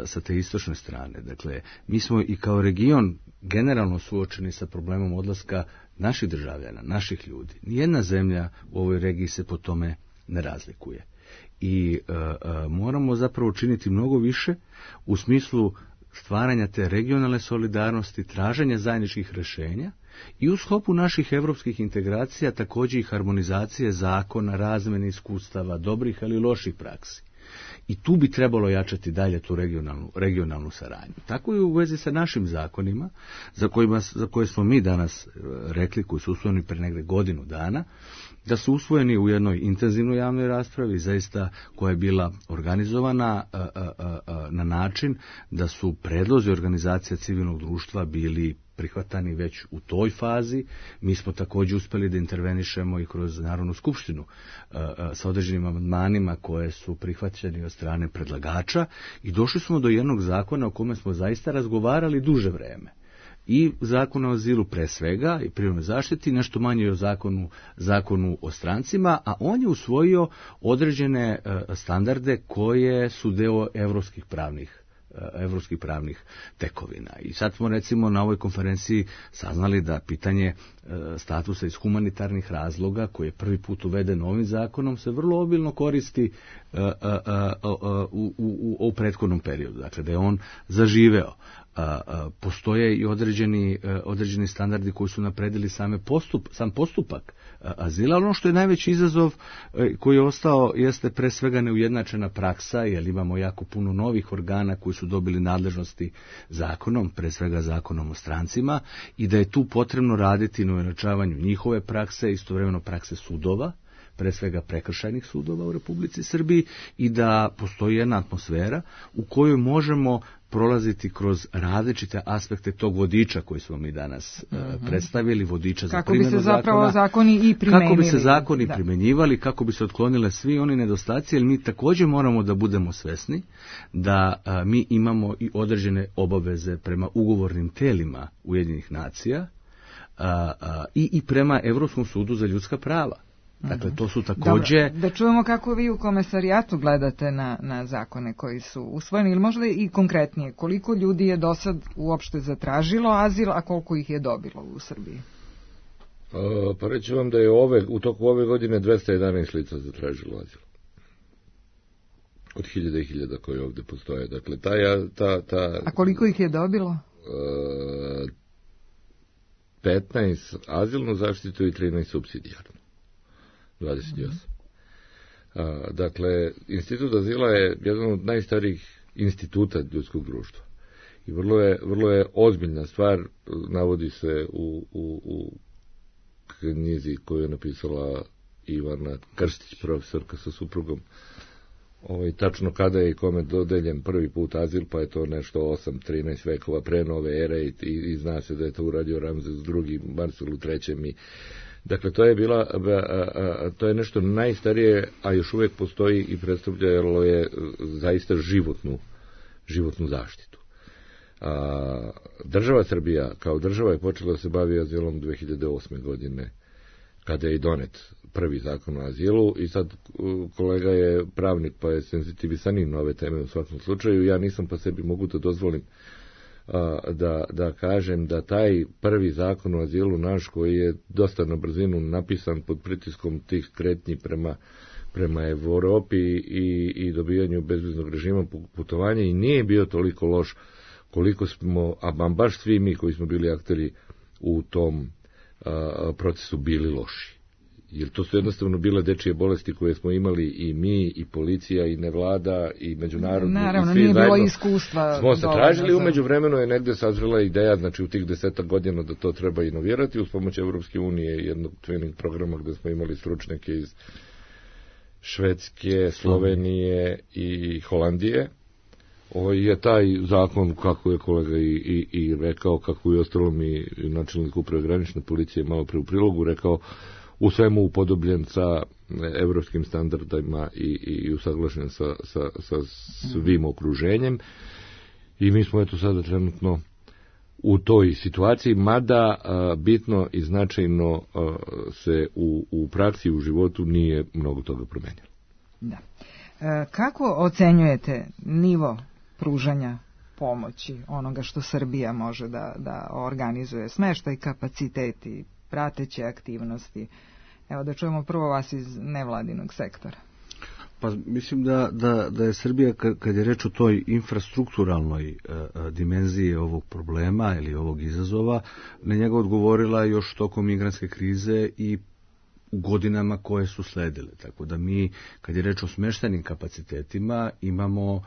sa te istočne strane. Dakle, mi smo i kao region generalno suočeni sa problemom odlaska naših državljana, naših ljudi. Nijedna zemlja u ovoj regiji se po tome ne razlikuje. I e, e, moramo zapravo učiniti mnogo više u smislu stvaranja te regionalne solidarnosti, traženja zajedničkih rješenja i u sklopu naših evropskih integracija također i harmonizacije zakona, razmene iskustava, dobrih ali loših praksi. I tu bi trebalo jačati dalje tu regionalnu, regionalnu saradnju. Tako i u vezi sa našim zakonima, za, kojima, za koje smo mi danas rekli, koji su usvojeni pre negde godinu dana, da su usvojeni u jednoj intenzivnoj javnoj raspravi, zaista koja je bila organizovana a, a, a, na način da su predlozi organizacija civilnog društva bili prihvatani već u toj fazi. Mi smo također uspjeli da intervenišemo i kroz Narodnu skupštinu a, a, sa određenim amandmanima koje su prihvaćeni od strane predlagača i došli smo do jednog zakona o kome smo zaista razgovarali duže vreme. I zakon o azilu pre svega i prirodnoj zaštiti, nešto manje o zakonu, zakonu o strancima, a on je usvojio određene uh, standarde koje su deo evropskih pravnih evropskih pravnih tekovina. I sad smo recimo na ovoj konferenciji saznali da pitanje statusa iz humanitarnih razloga, koji je prvi put uveden ovim zakonom, se vrlo obilno koristi uh, uh, uh, u, u, u prethodnom periodu. Dakle, da je on zaživeo. Uh, uh, postoje i određeni, uh, određeni standardi koji su napredili same postup, sam postupak azila. Ono što je najveći izazov koji je ostao jeste pre svega neujednačena praksa, jer imamo jako puno novih organa koji su dobili nadležnosti zakonom, pre svega zakonom o strancima, i da je tu potrebno raditi na ujednačavanju njihove prakse, istovremeno prakse sudova, pre svega prekršajnih sudova u Republici Srbiji, i da postoji jedna atmosfera u kojoj možemo prolaziti kroz različite aspekte tog vodiča koji smo mi danas uh-huh. predstavili, vodiča za primjenu zakona. Kako bi se zapravo zakoni i primenili. Kako bi se zakoni da. primenjivali, kako bi se otklonile svi oni nedostaci, jer mi također moramo da budemo svesni da a, mi imamo i određene obaveze prema ugovornim telima Ujedinjenih nacija a, a, i, i prema Evropskom sudu za ljudska prava. Dakle, to su također... Dobro, da čujemo kako vi u komesarijatu gledate na, na zakone koji su usvojeni, ili možda i konkretnije, koliko ljudi je do sad uopšte zatražilo azil, a koliko ih je dobilo u Srbiji? A, pa reći vam da je ove, u toku ove godine dvesta jedanaest lica zatražilo azil. Od hiljada i hiljada koji ovdje postoje. Dakle, ta, ta, ta, a koliko ih je dobilo? A, petnaest azilnu zaštitu i trinaest supsidijarnu. dvadeset osam. A, dakle, institut azila je jedan od najstarijih instituta ljudskog društva. I vrlo je, vrlo je ozbiljna stvar, navodi se u, u, u knjizi koju je napisala Ivana Krstić, profesorka sa suprugom, ovaj, tačno kada je i kome dodeljen prvi put azil, pa je to nešto osam trinaest vekova pre nove ere i, i, i zna se da je to uradio Ramzes drugi, Marcelu trećem i dakle, to je bila, a, a, to je nešto najstarije, a još uvijek postoji i predstavljalo je zaista životnu, životnu zaštitu. A, država Srbija, kao država, je počela da se bavi azilom dve hiljade osme. godine, kada je i donet prvi zakon o azilu, i sad kolega je pravnik, pa je senzitivisanim na ove teme u svakom slučaju. Ja nisam, pa sebi mogu da dozvolim Da, da kažem da taj prvi zakon o azilu naš, koji je dosta na brzinu napisan pod pritiskom tih kretnji prema, prema Evropi i, i dobijanju bezviznog režima putovanja, i nije bio toliko loš koliko smo, a baš svi mi koji smo bili akteri u tom a, procesu bili loši. Jer to su jednostavno bile dečije bolesti koje smo imali i mi, i policija, i nevlada, i međunarodni. Naravno, i svi nije zajedno bilo iskustva. Smo se tražili, umeđu vremenu je negde sazrela ideja, znači u tih desetak godina, da to treba inovirati uz pomoć Evropske unije, jednog twinning programa gde smo imali stručnjake iz Švedske, Slovenije i Holandije. Ovo je taj zakon, kako je kolega i, i, i rekao, kako je ostalo mi načelnik uprave granične policije malo pre u prilogu rekao, u svemu upodobljen sa evropskim standardima i, i usaglašen sa, sa, sa svim okruženjem. I mi smo eto sada trenutno u toj situaciji, mada a, bitno i značajno a, se u, u praksi, u životu nije mnogo toga promenilo. Da. E, kako ocenjujete nivo pružanja pomoći, onoga što Srbija može da, da organizuje, smeštaj, kapaciteti, prateće aktivnosti? Evo da čujemo prvo vas iz nevladinog sektora. Pa mislim da, da, da je Srbija, kad je reč o toj infrastrukturalnoj uh, dimenziji ovog problema ili ovog izazova, na njega odgovorila još tokom migrantske krize i u godinama koje su sledile. Tako da mi, kad je reč o smeštajnim kapacitetima, imamo uh,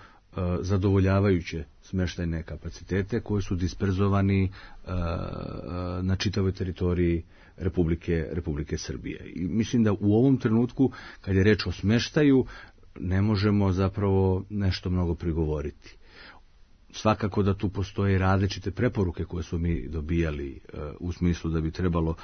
zadovoljavajuće smeštajne kapacitete koji su disperzovani uh, na čitavoj teritoriji Republike, Republike Srbije. I mislim da u ovom trenutku, kad je reč o smeštaju, ne možemo zapravo nešto mnogo prigovoriti. Svakako da tu postoje različite preporuke koje su mi dobijali uh, u smislu da bi trebalo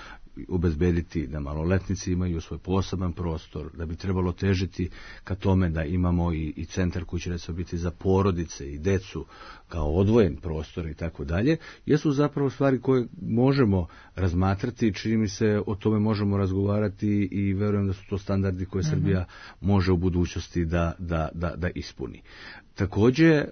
obezbediti da maloletnici imaju svoj poseban prostor, da bi trebalo težiti ka tome da imamo i, i centar koji će recimo biti za porodice i decu kao odvojen prostor i tako dalje, jesu zapravo stvari koje možemo razmatrati, čini mi se o tome možemo razgovarati i verujem da su to standardi koje mm-hmm. Srbija može u budućnosti da, da, da, da ispuni. Takođe,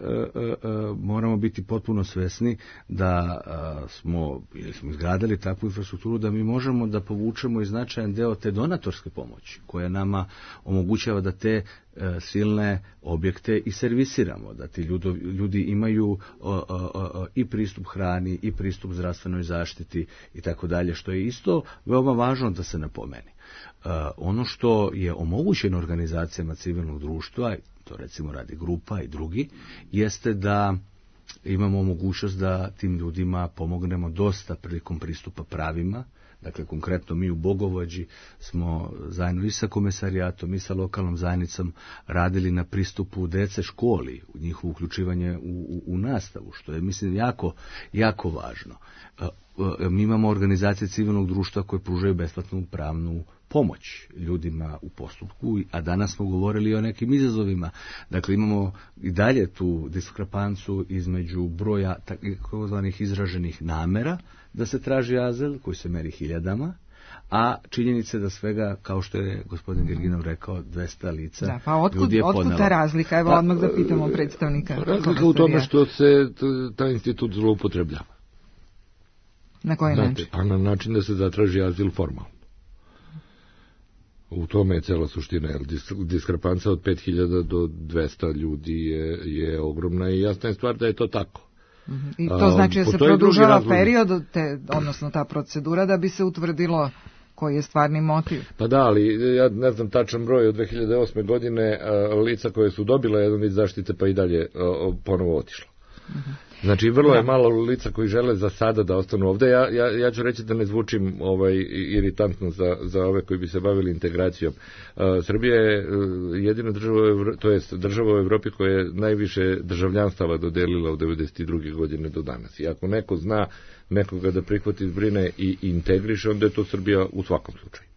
moramo biti potpuno svesni da a, smo, ili smo izgradili takvu infrastrukturu da mi možemo da povučemo i značajan deo te donatorske pomoći koja nama omogućava da te a, silne objekte i servisiramo, da ti ljudi, ljudi imaju a, a, a, i pristup hrani i pristup zdravstvenoj zaštiti i tako dalje, što je isto veoma važno da se napomeni. Uh, ono što je omogućeno organizacijama civilnog društva, to recimo radi grupa i drugi, jeste da imamo mogućnost da tim ljudima pomognemo dosta prilikom pristupa pravima. Dakle, konkretno mi u Bogovođi smo zajedno i sa komesarijatom i sa lokalnom zajednicom radili na pristupu dece školi, u njihovo uključivanje u, u, u nastavu, što je, mislim, jako, jako važno. Mi imamo organizacije civilnog društva koje pružaju besplatnu pravnu pomoć ljudima u postupku, a danas smo govorili o nekim izazovima. Dakle, imamo i dalje tu diskrepancu između broja takozvanih izraženih namera da se traži azil, koji se meri hiljadama, a činjenice da svega, kao što je gospodin Gerginov rekao, dvesta lica da, pa otkud, ljudi je otkud podnelo. Ta razlika? Evo, pa, odmah da pitamo predstavnika. Razlika u tome što se taj institut zloupotrebljava. Na koji Znate, način? Pa na način da se zatraži azil formalno. U tome je cela suština, jer diskrepanca od pet hiljada do dvesta ljudi je, je ogromna i jasna je stvar da je to tako. Mm-hmm. I to znači da se produžava period, te, odnosno ta procedura, da bi se utvrdilo koji je stvarni motiv. Pa da, ali ja ne znam tačan broj od dve hiljade osme godine a, lica koje su dobila jedan vid zaštite pa i dalje a, ponovo otišlo. Mm-hmm. Znači, vrlo da. je malo lica koji žele za sada da ostanu ovde. Ja, ja, ja ću reći da ne zvučim ovaj, iritantno za, za ove koji bi se bavili integracijom. Uh, Srbija je uh, jedina država, to jest država u Evropi koja je najviše državljanstava dodelila od devedeset druge godine do danas. I ako neko zna nekoga da prihvati, zbrine i integriše, onda je to Srbija u svakom slučaju.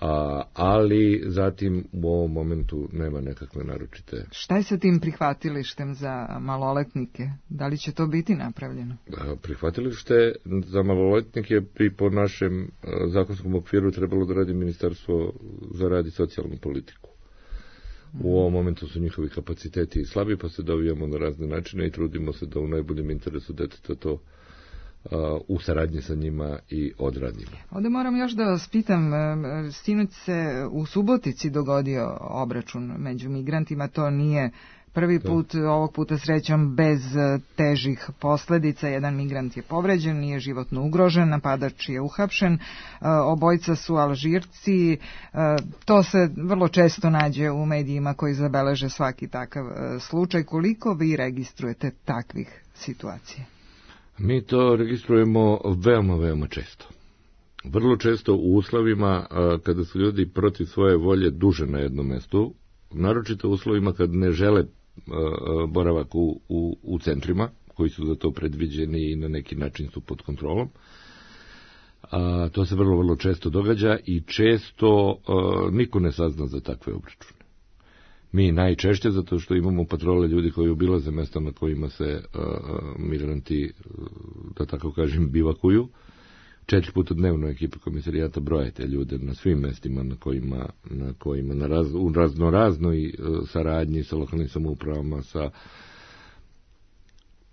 A, ali zatim u ovom momentu nema nekakve naročite. Šta je sa tim prihvatilištem za maloletnike? Da li će to biti napravljeno? A, prihvatilište za maloletnike bi po našem a, zakonskom okviru trebalo da radi Ministarstvo za rad i socijalnu politiku. U ovom momentu su njihovi kapaciteti slabi, pa se dovijamo na razne načine i trudimo se da u najboljem interesu deteta to u saradnji sa njima i odradimo. Ovdje moram još da vas pitam, sinoć se u Subotici dogodio obračun među migrantima, to nije prvi put, ovog puta srećom bez težih posledica, jedan migrant je povređen, nije životno ugrožen, napadač je uhapšen, obojica su Alžirci, to se vrlo često nađe u medijima koji zabeleže svaki takav slučaj. Koliko vi registrujete takvih situacija? Mi to registrujemo veoma, veoma često. Vrlo često u uslovima a, kada su ljudi protiv svoje volje duže na jednom mestu, naročito u uslovima kad ne žele a, a, boravak u, u, u centrima, koji su za to predviđeni i na neki način su pod kontrolom. A, to se vrlo, vrlo često događa i često a, niko ne sazna za takve obračune. Mi najčešće, zato što imamo patrole ljudi koji obilaze mesta na kojima se uh, migranti, da tako kažem, bivakuju. Četiri puta dnevno ekipa komisarijata broje te ljude na svim mestima na kojima, na kojima na raz, u raznoraznoj uh, saradnji sa lokalnim samoupravama, sa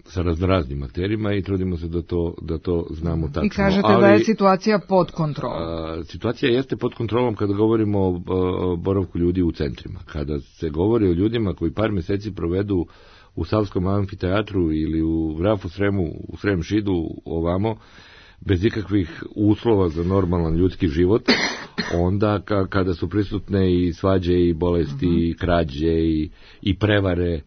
sa raznoraznim akterima i trudimo se da to, da to znamo tačno. I kažete ali, da je situacija pod kontrolom. A, situacija jeste pod kontrolom kada govorimo o, o boravku ljudi u centrima. Kada se govori o ljudima koji par meseci provedu u Savskom amfiteatru ili u Vrafu Sremu, u Srem Šidu, ovamo, bez ikakvih uslova za normalan ljudski život, onda ka, kada su prisutne i svađe i bolesti, uh-huh. i krađe i, i prevare,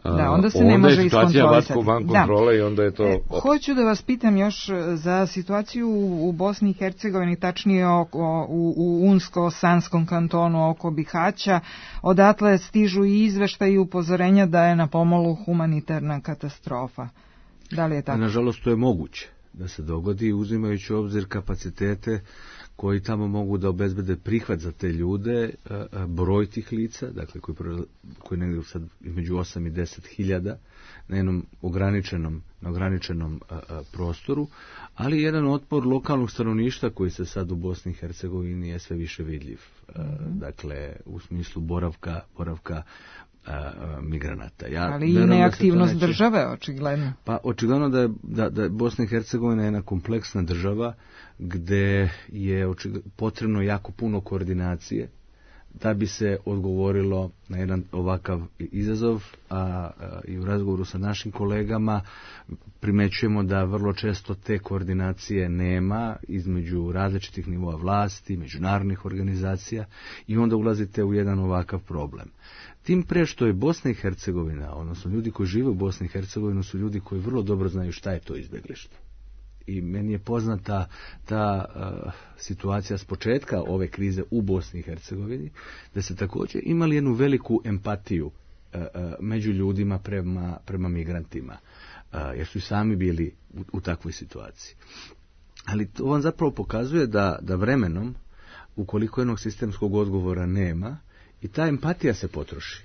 da, onda se onda ne može iskontrolisati. Van kontrole da. I onda je to... E, hoću da vas pitam još za situaciju u Bosni i Hercegovini, tačnije oko, u, u Unsko-Sanskom kantonu oko Bihaća. Odatle stižu i izveštaji i upozorenja da je na pomolu humanitarna katastrofa. Da li je tako? Nažalost, to je moguće da se dogodi, uzimajući u obzir kapacitete koji tamo mogu da obezbede prihvat za te ljude, broj tih lica, dakle koji, koji negdje sad između osam i deset hiljada na jednom ograničenom, na ograničenom a, a, prostoru, ali jedan otpor lokalnog stanovništva koji se sad u Bosni i Hercegovini je sve više vidljiv. Mm-hmm. Dakle, u smislu boravka, boravka a, migranata. Ja Ali i neaktivnost neće... države, očigledno. Pa očigledno da je, da, da je Bosna i Hercegovina jedna kompleksna država gde je očigledno potrebno jako puno koordinacije da bi se odgovorilo na jedan ovakav izazov, a, a i u razgovoru sa našim kolegama primećujemo da vrlo često te koordinacije nema između različitih nivoa vlasti, međunarodnih organizacija i onda ulazite u jedan ovakav problem. Tim pre što je Bosna i Hercegovina, odnosno ljudi koji žive u Bosni i Hercegovini su ljudi koji vrlo dobro znaju šta je to izbeglištvo. I meni je poznata ta uh, situacija s početka ove krize u Bosni i Hercegovini, da se također imali jednu veliku empatiju uh, uh, među ljudima prema, prema migrantima, uh, jer su i sami bili u, u takvoj situaciji. Ali to vam zapravo pokazuje da, da vremenom, ukoliko jednog sistemskog odgovora nema, i ta empatija se potroši.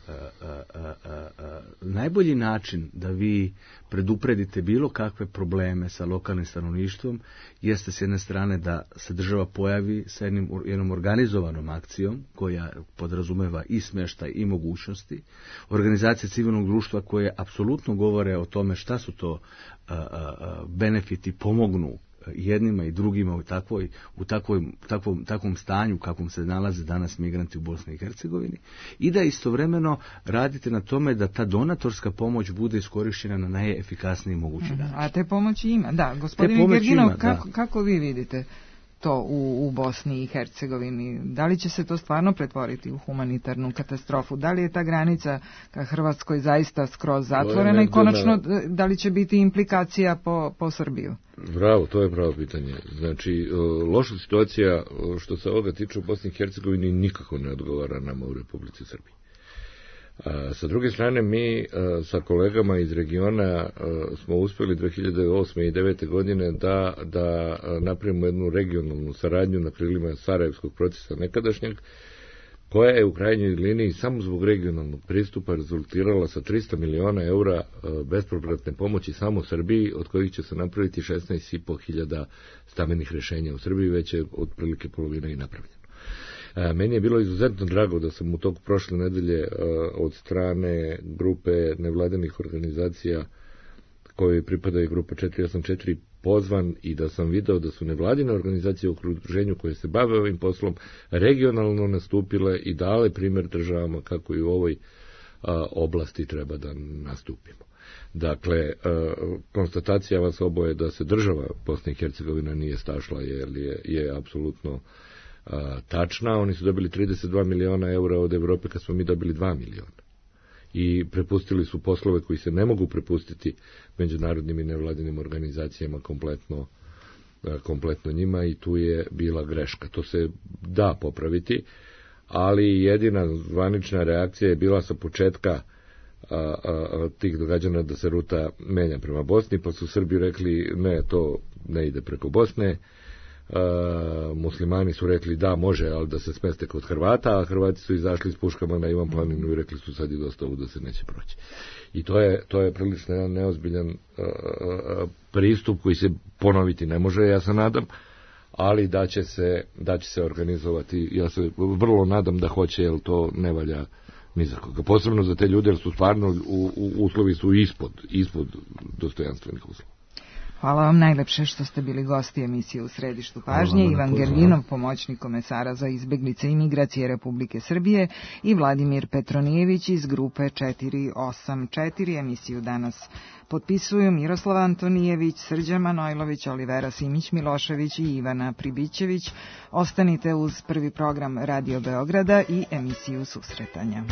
A, a, a, a, a, najbolji način da vi predupredite bilo kakve probleme sa lokalnim stanovništvom jeste s jedne strane da se država pojavi sa jednim, jednom organizovanom akcijom koja podrazumeva i smještaj i mogućnosti, organizacije civilnog društva koje apsolutno govore o tome šta su to a, a, a, benefiti, pomognu jednima i drugima u takvoj, u takvoj, takvom, takvom stanju kakvom se nalaze danas migranti u Bosni i Hercegovini, i da istovremeno radite na tome da ta donatorska pomoć bude iskorištena na najefikasniji mogući način. A te pomoći ima, da. Gospodin Gerginov, kako, kako vi vidite to u, u Bosni i Hercegovini? Da li će se to stvarno pretvoriti u humanitarnu katastrofu? Da li je ta granica ka Hrvatskoj zaista skroz zatvorena i konačno da li će biti implikacija po, po Srbiju? Bravo, to je pravo pitanje. Znači, loša situacija što se ovoga tiče u Bosni i Hercegovini nikako ne odgovara nama u Republici Srbiji. A, sa druge strane, mi a, sa kolegama iz regiona a, smo uspjeli dve hiljade osme i devete godine da, da napravimo jednu regionalnu saradnju na krilima Sarajevskog procesa nekadašnjeg, koja je u krajnjoj liniji samo zbog regionalnog pristupa rezultirala sa tristo miliona eura bespovratne pomoći samo Srbiji, od kojih će se napraviti šesnaest i po hiljada stambenih rješenja u Srbiji, već je otprilike polovina i napravljeno. Meni je bilo izuzetno drago da sam u toku prošle nedelje od strane grupe nevladinih organizacija koje pripadaju grupa četiri osam četiri pozvan i da sam video da su nevladine organizacije u okruženju koje se bave ovim poslom regionalno nastupile i dale primjer državama kako i u ovoj a, oblasti treba da nastupimo. Dakle, a, konstatacija vas oboje da se država Bosna i Hercegovina nije stašla jer je, je apsolutno a, tačna. Oni su dobili trideset dva miliona eura od Evrope kad smo mi dobili dva miliona. I prepustili su poslove koji se ne mogu prepustiti međunarodnim i nevladinim organizacijama kompletno, kompletno njima i tu je bila greška. To se da popraviti, ali jedina zvanična reakcija je bila sa početka a, a, a, tih događanja da se ruta menja prema Bosni, pa su Srbi rekli ne, to ne ide preko Bosne. Uh, muslimani su rekli da može, ali da se smeste kod Hrvata, a Hrvati su izašli s puškama na Ivan planinu i rekli su sad je dosta ovo da se neće proći. I to je, to je prilično jedan neozbiljan uh, uh, pristup koji se ponoviti ne može, ja se nadam, ali da će se, da će se organizovati, ja se vrlo nadam da hoće, jer to ne valja ni za koga. Posebno za te ljude, jer su stvarno u, u, uslovi su ispod, ispod dostojanstvenih uslova. Hvala vam najlepše što ste bili gosti emisije U središtu pažnje. Ivan Gerginov, pomoćnik komesara za izbjeglice i migracije Republike Srbije, i Vladimir Petronijević iz grupe četiri osam četiri. Emisiju danas potpisuju Miroslav Antonijević, Srđan Manojlović, Olivera Simić-Milošević i Ivana Pribićević. Ostanite uz prvi program Radio Beograda i emisiju Susretanja.